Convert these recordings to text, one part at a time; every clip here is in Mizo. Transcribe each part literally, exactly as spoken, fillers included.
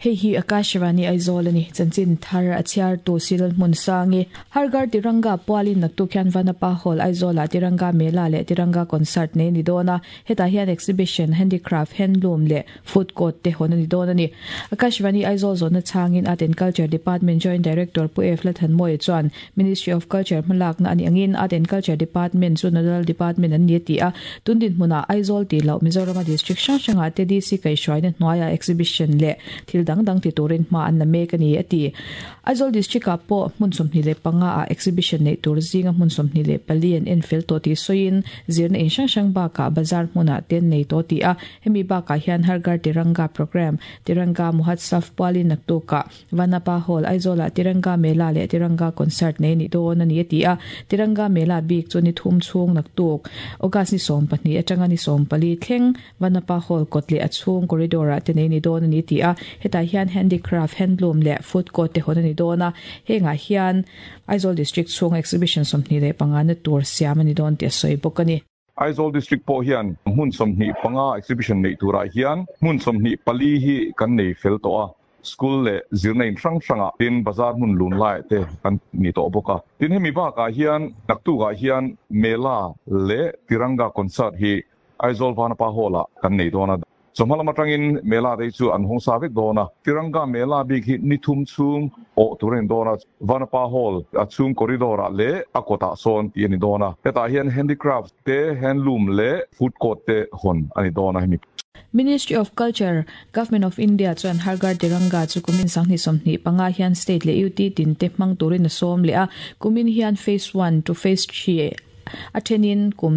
Hei hi Akashvani Aizawl ani chanchin thar a chhiar tu Silal hmun sangi Har Ghar Tiranga pualin naktuk hian Vanapa Hall Aizawl ah Tiranga Mela leh Tiranga Concert nei ni dawn a hetah hian exhibition handicraft handloom leh food court te hawn ani dawn ani Akashvani Aizawl zawhna chhangin Art and Culture Department Joint Director Pu F Lalthanmawia chuan Ministry of Culture hmalakna ani angin Art and Culture Department chu nodal department an ni a ti a tun dinhmunah Aizawl tih loh Mizorama district hrang hrangah te D C kaihhruaina hnuaiah exhibition leh thil dang dang ti turin hma an la mek a ni a ti. Aizawl district ah pawh hmun sawmhnih leh panga ah exhibition neih tur zinga hmun sawmhnih leh pali an en fel tawh tih sawiin zirna in hrang hrang bakah bazar hmunah te an nei tawh tih a hemi bakah hian Har Ghar Tiranga programme Tiranga Mahotsav pualin naktukah Vanapa Hall Aizawl ah Tiranga Mela leh Tiranga Concert nei a nih dawn a ni a ti a Tiranga Mela bik chu ni thum chhung naktuk August ni sawm pahnih atanga ni sawm pali thleng Vanapa Hall kawt leh a chhung corridor ah te nei a ni dawn a ni tih a hetah hian handicraft handloom leh food court te hawn a ni dawn a hengah hian Aizawl district chhung exhibition sawmhnih leh panga na tur siam a ni dawn tih a sawi bawk a ni. Aizawl district pawh hian hmun sawmhnih panga exhibition neih turah hian hmun sawmhnih pali hi kan nei fel tawh a school leh zirna in hrang hrangah tin bazar hmun lun laiah te kan ni tawh bawk a tin hemi bakah hian naktukah hian Mela leh Tiranga concert hi Aizawl Vanapa Hall ah kan nei dawn a chawhma lam atangin Mela te hi chu an hawng sa vek dawn a Tiranga Mela bik hi ni thum chhung awh tur a ni dawn a Vanapa Hall a chhung corridor ah leh a kawtah sawn tih a ni dawn a hetah hian handicraft te handloom leh food court te hawn a ni dawn a hemi Ministry of Culture, Government of India chuan Har Ghar Tiranga chu kumin sanghnih sawmhnih panga hian state leh U T tin te hmang turin a sawm leh a kumin hian phase one to phase three a thenin kum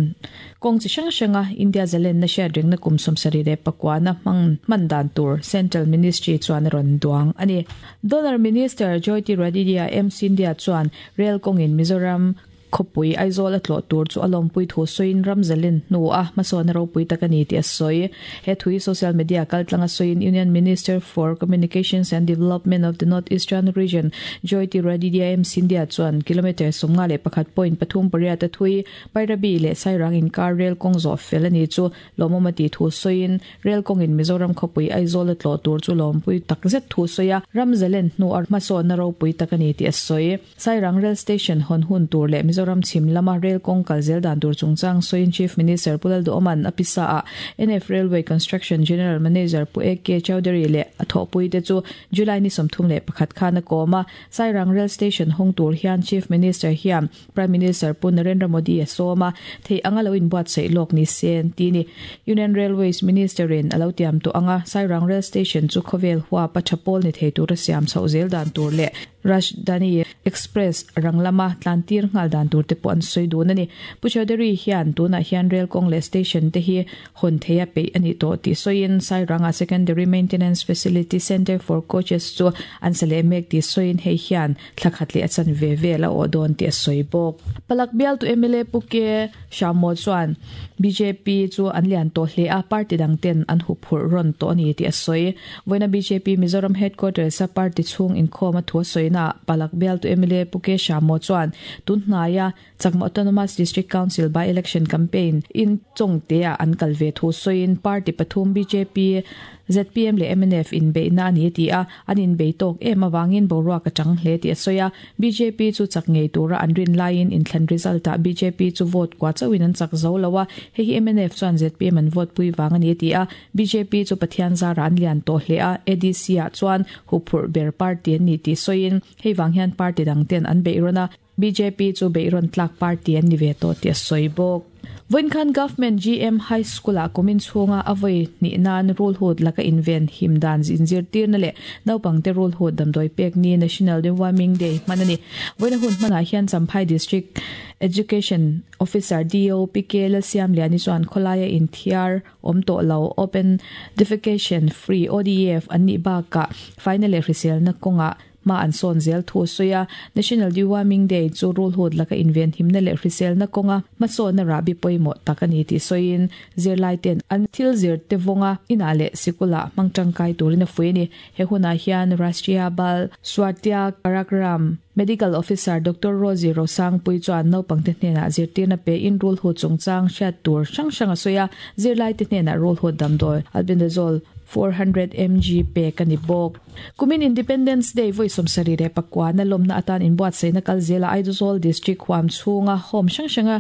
kawng chi hrang hranga India zalenna hriat rengna kum sawmsarih leh pakuana hmang hman dan tur Central Ministry chuan a rawn duang a ni. Donor Minister Jyotiraditya M Scindia chuan rail kawngin Mizoram khawpui Aizawl a tlawh tur chu a lawmpui thu sawiin ram zalen hnu a hmasawn a ropui tak a ni tih a sawi. He thui social media kaltlanga sawiin Union Minister for Communications and Development of the North Eastern Region Jyotiraditya M Scindia chuan kilometre sawmnga leh pakhat point pathum pariat a thui Bairabi leh Sairang inkar rail kawng zawh fel a ni chu lawmawm a tih thu sawiin rail kawngin Mizoram khawpui Aizawl a tlawh tur chu lawmpui tak zet thu sawi a ram zalen hnu a hmasawn a ropui tak a ni tih a sawi. Sairang rail station hawn hun tur leh Mizoram chhim lama rail kawng kal zel dan tur chungchang sawiin Chief Minister Pu Lalduhoman a pisa ah N F Railway Construction General Manager Pu A K Chaudhary leh a thawhpui te chu July ni sawmthum leh pakhat khan a kawm a Sairang rail station hawng tur hian Chief Minister hian Prime Minister Pu Narendra Modi a sawm a thei anga lo inbuatsaih lawk ni se an ti ni. Union Railways Minister in a lo tiam tawh anga Sairang rail station chu khawvel huap a tha pawl ni thei tur a siam chhoh zel dan tur leh Rajdhani Express ranglama tlantir ngal dan tur te pawh an sawi dun a ni. Pu Chaudhary hian tunah hian rail kawng leh station te hi hawn thei a peih a ni tawh tih sawiin Sairanga Secondary Maintenance Facility Centre for Coaches chu an sa leh mek tih sawiin hei hian thla khat leh a chan ve vel a awh dawn tih a sawi bawk. Palak bial tu M L A Pu K Hriammaw chuan B J P chu an lian tawh hle a party dang ten an hu phurh rawn tawh a ni tih a sawi. Vawiina B J P Mizoram Headquarters a party chhung inkhawm a thu a sawi na Palak bial tu M L A Pu K Hriammaw chuan tun hnaia Chakma Autonomous District Council by election campaign in chawngte ah an kal ve thu sawiin party pathum B J P Z P M leh M N F in beihna a ni ti a an in bei tawk em awangin boruak a tang hle tih a sawi a B J P chu chak ngei tura an rin laiin inthlan result ah B J P chu vote kwa chauhin an chak zo lo a hei hi M N F chuan Z P M an vote pui wang a ni ti a B J P chu Pathian zara an lian tawh hle a A D C ah chuan hu phurh ber party an ni tih sawiin hei wang hian party dang ten an beih rawn a B J P chu beih rawn tlak party an ni ve tawh tih a sawi bawk. Vawinkhan Government G M High School ah kumin chhunga a vawi hnih nan rul hut laka inven him dan inzir tirna leh naupangte rul hut damdawi pek ni National Deworming Day hman a ni. Vawiina hun hmanah hian Champhai District Education Officer D O P K Lalsiam Liani chuan khawlaia inthiar awm tawh lo Open Defecation Free O D F an nih bakah final leh hriselna kawngah ma an sawn zel thu sawi a National Deworming Day chu rul hut laka inven himna leh hriselna kawnga hmasawnna rahbi pawimawh tak a ni tih sawiin zirlai ten an thil zir te vawnga inah leh sikula hmang tangkai turin a fui a ni. He hunah hian Rashtriya Bal Swasthya Karyakram Medical Officer Doctor Rosie Rosang pui chuan naupangte hnenah zirtirna pe in rul hut chungchang hriat tur hrang hrang a sawi a zirlai te hnenah rul hut damdawi albendazole four hundred mg pek a ni bawk. Kumin Independence Day vawi sawmsarih leh pakua na lawmna atan inbuatsaihna kal zela Aizawl District huam chhunga home hrang hranga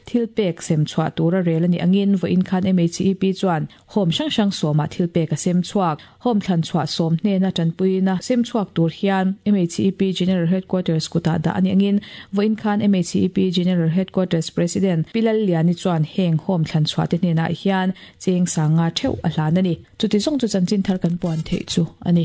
thil pek sem chhuah tura rel a ni angin vawiin khan M H E P chuan home hrang hrang sawmah thil pek a sem chhuak. Home thlan chhuah sawm hnena tanpuina sem chhuak tur hian M H E P General Headquarters kutah dah a ni angin vawiin khan M H E P General Headquarters President Pilal Liani chuan heng home thlan chhuah te hnenah hian cheng sanga theuh a hlan a ni. Chuti zawng chu chanchin thar kan puan theih chu a ni.